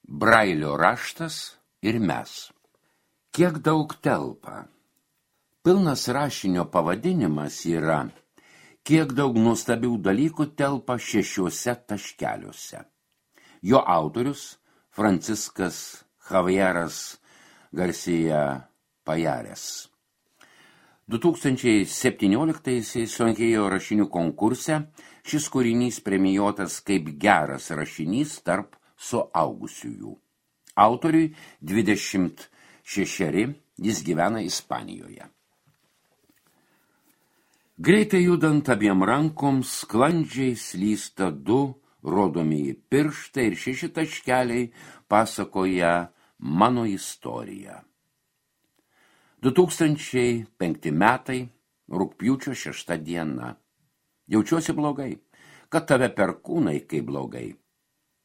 Brailio raštas ir mes. Kiek daug telpa? Pilnas rašinio pavadinimas yra kiek daug nuostabių dalykų telpa 6 taškeliuose. Jo autorius Franciskas Javieras Garcia Pajares. 2017 sunkėjo rašinių konkurse šis kūrinys premijuotas kaip geras rašinys tarp suaugusiųjų. Autoriui 26, jis gyvena Ispanijoje. Greitai judant abiem rankoms, sklandžiai slysta 2 rodomieji pirštai ir 6 taškeliai pasakoja mano istoriją. 2005 metai, rugpjūčio 6 diena. Jaučiuosi blogai, kad tave perkūnai kaip blogai.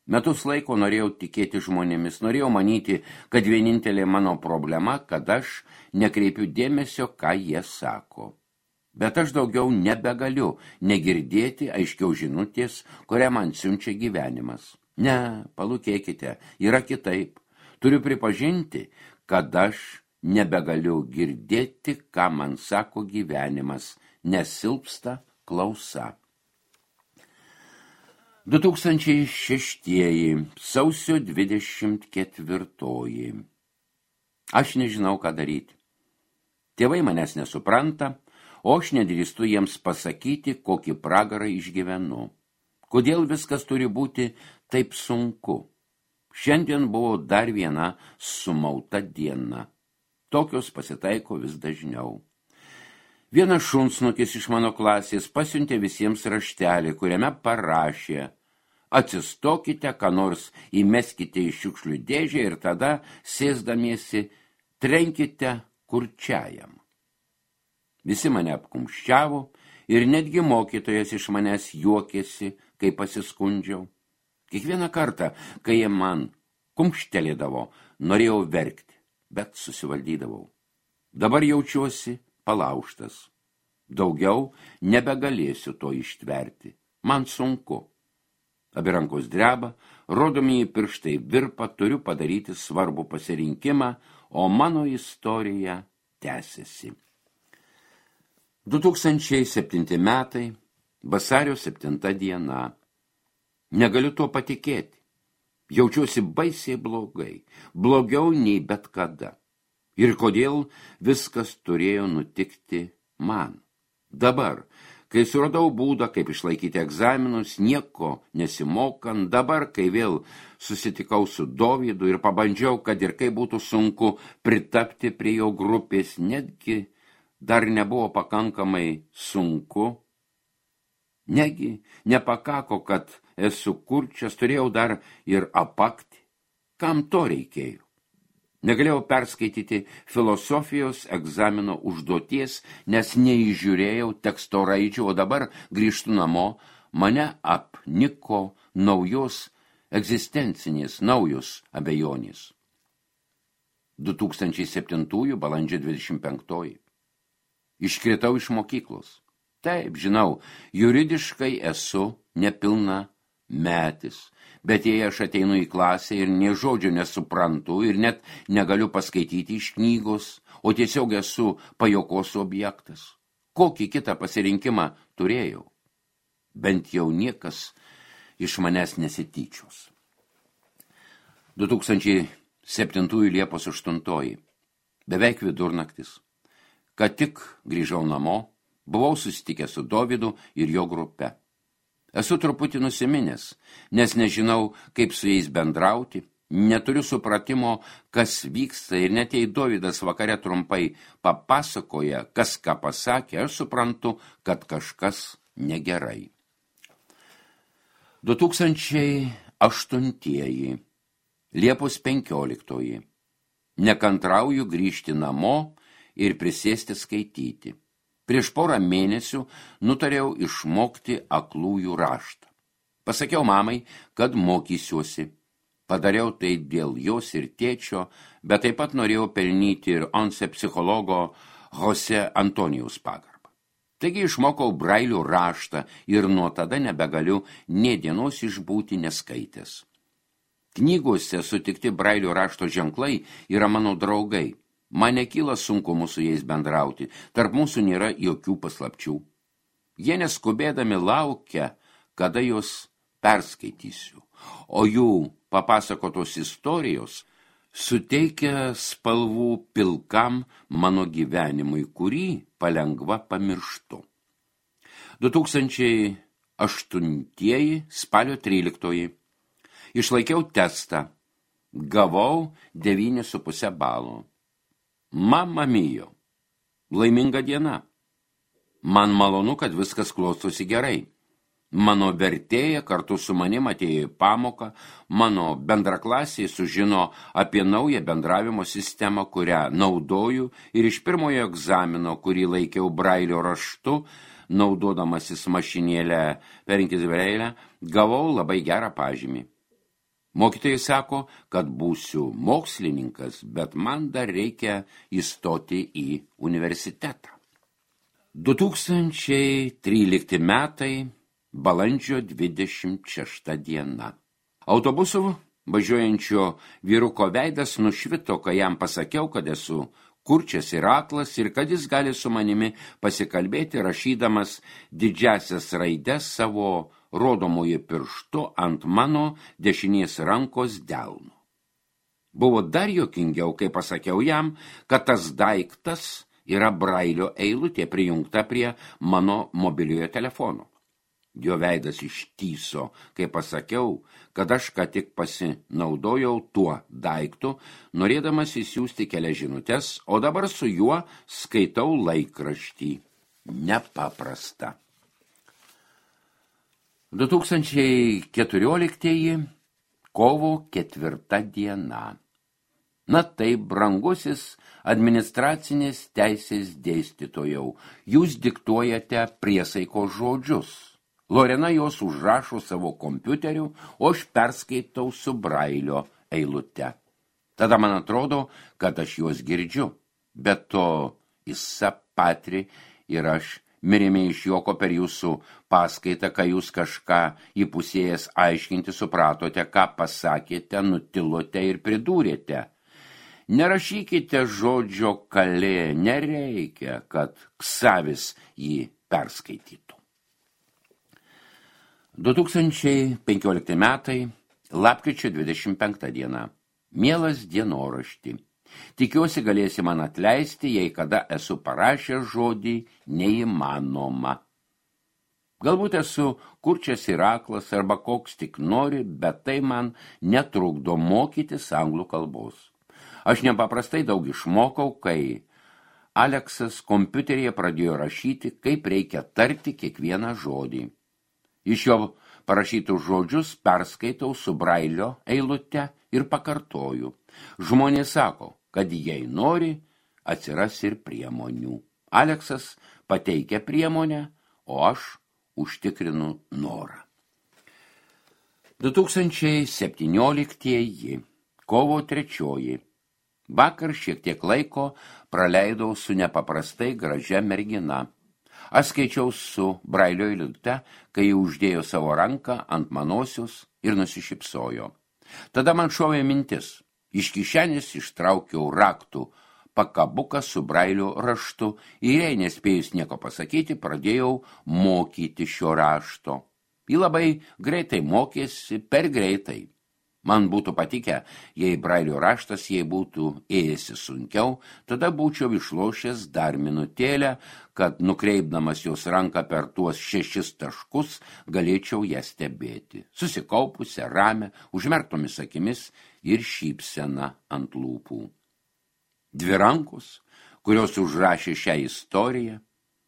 Metus laiko norėjau tikėti žmonėmis, norėjau manyti, kad vienintelė mano problema, kad aš nekreipiu dėmesio, ką jie sako. Bet aš daugiau nebegaliu negirdėti aiškiau žinutės, kurią man siunčia gyvenimas. Ne, palūkėkite, yra kitaip. Turiu pripažinti, kad aš nebegaliu girdėti, ką man sako gyvenimas, nes silpsta klausa. 2006, sausio 24. Aš nežinau, ką daryti. Tėvai manęs nesupranta, o aš nedrįstu jiems pasakyti, kokį pragarą išgyvenu. Kodėl viskas turi būti taip sunku? Šiandien buvo dar viena sumauta diena. Tokios pasitaiko vis dažniau. Vienas šunsnukis iš mano klasės pasiuntė visiems raštelį, kuriame parašė: atsistokite, ką nors įmeskite į šiukšlių dėžę ir tada, sėsdamiesi, trenkite kurčiajam. Visi mane apkumščiavo ir netgi mokytojas iš manęs juokėsi, kai pasiskundžiau. Kiekvieną kartą, kai jie man kumštelėdavo, norėjau verkti, bet susivaldydavau. Dabar jaučiuosi palaužtas. Daugiau nebegalėsiu to ištverti. Man sunku. Abi rankos dreba, rodomieji pirštai virpa, turiu padaryti svarbų pasirinkimą, o mano istorija tęsiasi. 2007 metai, vasario 7 diena. Negaliu tuo patikėti. Jaučiuosi baisiai blogai, blogiau nei bet kada. Ir kodėl viskas turėjo nutikti man? Dabar, kai suradau būdą, kaip išlaikyti egzaminus, nieko nesimokant, dabar, kai vėl susitikau su Dovydu ir pabandžiau, kad ir kaip būtų sunku pritapti prie jo grupės, netgi dar nebuvo pakankamai sunku. Negi nepakako, kad esu kurčias, turėjau dar ir apakti. Kam to reikėjo? Negalėjau perskaityti filosofijos egzamino užduoties, nes neįžiūrėjau teksto raidžių, o dabar grįžtu namo, mane apniko naujos egzistencinės, naujos abejonės. 2007 balandžio 25. Iškritau iš mokyklos. Taip, žinau, juridiškai esu nepilna metis, bet jei aš ateinu į klasę ir nė žodžio nesuprantu ir net negaliu paskaityti iš knygos, o tiesiog esu pajuokos objektas, kokį kitą pasirinkimą turėjau? Bent jau niekas iš manęs nesityčios. 2007 Liepos 8. Beveik vidurnaktis. Kad tik grįžau namo, buvau susitikęs su Dovydu ir jo grupe. Esu truputį nusiminęs, nes nežinau, kaip su jais bendrauti, neturiu supratimo, kas vyksta ir net jei Dovydas vakare trumpai papasakoja, kas ką pasakė, aš suprantu, kad kažkas negerai. 2008. Liepos 15. Nekantrauju grįžti namo ir prisėsti skaityti. Prieš porą mėnesių nutariau išmokti aklųjų raštą. Pasakiau mamai, kad mokysiuosi. Padariau tai dėl jos ir tėčio, bet taip pat norėjau pelnyti ir ONCE psichologo Jose Antonijaus pagarbą. Taigi išmokau Brailio raštą ir nuo tada nebegaliu nė dienos išbūti neskaitęs. Knygose sutikti Brailio rašto ženklai yra mano draugai. Man nekyla sunkumų su jais bendrauti, tarp mūsų nėra jokių paslapčių. Jie neskubėdami laukia, kada juos perskaitysiu, o jų papasakotos istorijos suteikia spalvų pilkam mano gyvenimui, kurį palengva pamirštu. 2008 spalio 13. Išlaikiau testą. Gavau 9,5 balo. Mamma mio. Laiminga diena. Man malonu, kad viskas klostosi gerai. Mano vertėja kartu su manim atėjo į pamoką, mano bendraklasiai sužino apie naują bendravimo sistemą, kurią naudoju, ir iš pirmojo egzamino, kurį laikiau Brailio raštu, naudodamasis mašinėlę perinkis Brailę, gavau labai gerą pažymį. Mokytojai sako, kad būsiu mokslininkas, bet man dar reikia įstoti į universitetą. 2013 metai, balandžio 26 diena. Autobusu važiuojančio vyruko veidas nušvito, kai jam pasakiau, kad esu kurčias ir aklas ir kad jis gali su manimi pasikalbėti, rašydamas didžiasias raides savo rodomoje pirštu ant mano dešinės rankos delno. Buvo dar juokingiau, kai pasakiau jam, kad tas daiktas yra Brailio eilutė prijungta prie mano mobiliojo telefono. Jo veidas ištyso, kai pasakiau, kad aš ką tik pasinaudojau tuo daiktu, norėdamas įsiųsti kelias žinutes, o dabar su juo skaitau laikraštį. Nepaprasta. 2014 kovo 4 diena. Na taip, brangusis administracinės teisės dėstytojau, jūs diktuojate priesaikos žodžius. Lorena jos užrašo savo kompiuteriu, o aš perskaitau su Brailio eilute. Tada man atrodo, kad aš juos girdžiu, bet to Issa Patri ir aš mirėme iš juoko per jūsų paskaitą, kai jūs kažką įpusėjęs aiškinti supratote, ką pasakėte, nutilote ir pridūrėte. Nerašykite žodžio kalė, nereikia, kad Ksavis jį perskaitytų. 2015 metai, lapkričio 25 diena. Mielas dienorašti. Tikiuosi galėsi man atleisti, jei kada esu parašęs žodį neįmanoma. Galbūt esu kurčias ir aklas arba koks tik nori, bet tai man netrukdo mokytis anglų kalbos. Aš nepaprastai daug išmokau, kai Aleksas kompiuteryje pradėjo rašyti, kaip reikia tarti kiekvieną žodį. Iš jo parašytus žodžius perskaitau su Brailio eilute ir pakartoju. Žmonės sako, kad jei nori, atsiras ir priemonių. Aleksas pateikia priemonę, o aš užtikrinu norą. 2017 kovo 3. Vakar šiek tiek laiko praleidau su nepaprastai gražia mergina. Aš skaičiau su Brailio eilute, kai uždėjo savo ranką ant manosios ir nusišypsojo. Tada man šovė mintis. Iš kišenės ištraukiau raktų pakabuką su Brailio raštu ir jei nespėjus nieko pasakyti, pradėjau mokyti šio rašto. Ji labai greitai mokėsi, per greitai. Man būtų patikę, jei Brailio raštas jei būtų ėjęsi sunkiau, tada būčiau išlošęs dar minutėlę, kad nukreipdamas jos ranką per tuos 6 taškus galėčiau ją stebėti. Susikaupusią, ramią, užmerktomis akimis ir šypsena ant lūpų. 2 rankos, kurios užrašė šią istoriją,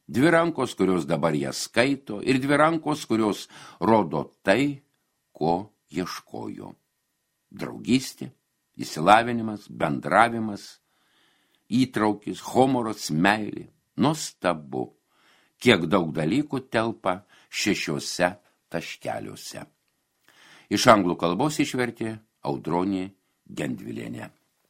2 rankos, kurios dabar ją skaito, ir 2 rankos, kurios rodo tai, ko ieškojo. Draugystė, įsilavinimas, bendravimas, įtraukis, humoras, meilė. Nuostabu, kiek daug dalykų telpa 6 taškeliuose. Iš anglų kalbos išvertė Audronė Gendvilienė.